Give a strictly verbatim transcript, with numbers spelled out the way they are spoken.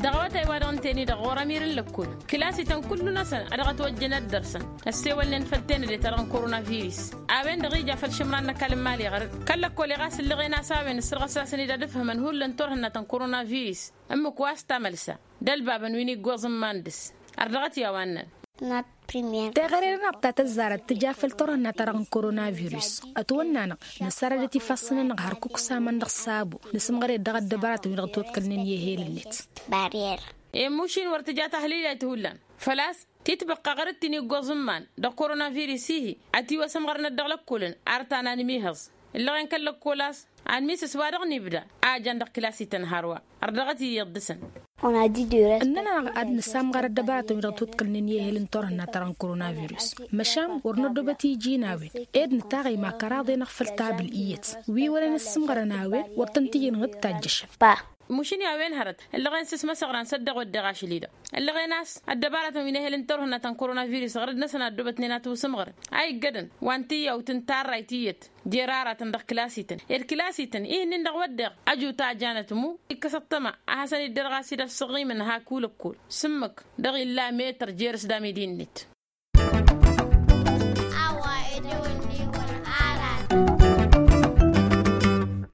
Dăɣ-awătay wa dăɣ-ǝnta-en-i-dăɣ ɣur-ămir n-lăkkol, kǝlasităn kullu-năsăn a dăɣ-ătwăjjăn ad-dăr-săn ăssewălnen făll-tenăde-ta-dăɣ n-koronavirus. A-wen-dăɣ ija făll-išǝmran n-ăkall n-imali ɣărăt kăl-lăkkol iɣas ǝllăɣen a-s a-wen ǝssărɣăs-asen-dd ad-ǝfhǝmăn hullan turhǝnna ta n-koronavirus. Ǝmmǝk wa s-tamălsa d-ălbabăn wi n-iggoẓ n-iman dăɣ-s. Ărdăɣăt i-a-wa ǝnnăn. Teɣăre-nănăɣ ta tăzzarăt tǝja făll-turhǝnna-ta-dăɣ n-koronavirus. Ătwănn'-anăɣ nǝssarădăt ifassăn-nănăɣ hărkuk s-aman dăɣ-s abo nǝsǝmɣăr-dd dăɣ-ăddăbăratăn wi dăɣ-ătwăḍkălnen i-ehel-net. Barrier. Emuš-in wăr tǝja tahlǝylayt hullan făl-a-s titbăqqa ɣărăt ti n-iggoẓ n-iman dăɣ-koronavirus-ihi. Ătiwăsămɣărnăt dăɣ-lăkkolăn ar ta n-anmihăẓ ǝllăɣen kăl-lăkkol a-s anmisǝs wa dăɣ-nibda a jan dăɣ-klasităn hărwa. Ărdăɣăt iyyăḍ dăɣ-săn. Ǝnnăn-anăɣ ad-nǝssamɣăr ăddăbăratăn wi dăɣ-tǝwǝḍkălnen i-ehel n-turhǝnna-ta-dăɣ n-koronavirus. Măšan wăr năddobăt iji n-a-wen ed nǝtaɣăy ma kăraḍ-enăɣ făll-tabǝl iyyăt wi wăren ǝssǝmɣărăn a-wen wăr tăn-t-ijǝnɣǝd tajjăšăn. Mušǝn i-a-wen hărăt ǝllăɣen s-ǝsmăsăɣran s-ăddeɣ wădden ašăl-i-dăɣ ǝllăɣen a-s ăddăbăratăn wi n-ehel n-turhǝnna ta n-koronavirus ɣărăd-năsăn a ăddoobătnen ad-t-wǝsǝmɣărăn a iggădăn wa n-tiyyawt n-tarrayt iyyăt. Jer-aratăn dăɣ-klasităn ed klasităn ihǝnnin dăɣ-wădden ăju tajanăt ǝmmu ikkăs ăṭṭăma a hasăn-iddărɣ a-s idăr s-ăɣimăn hak ulăkkol s-ǝmmǝk dăɣ-illa metăr jer-s d-amidi-net. A-wa edăwăn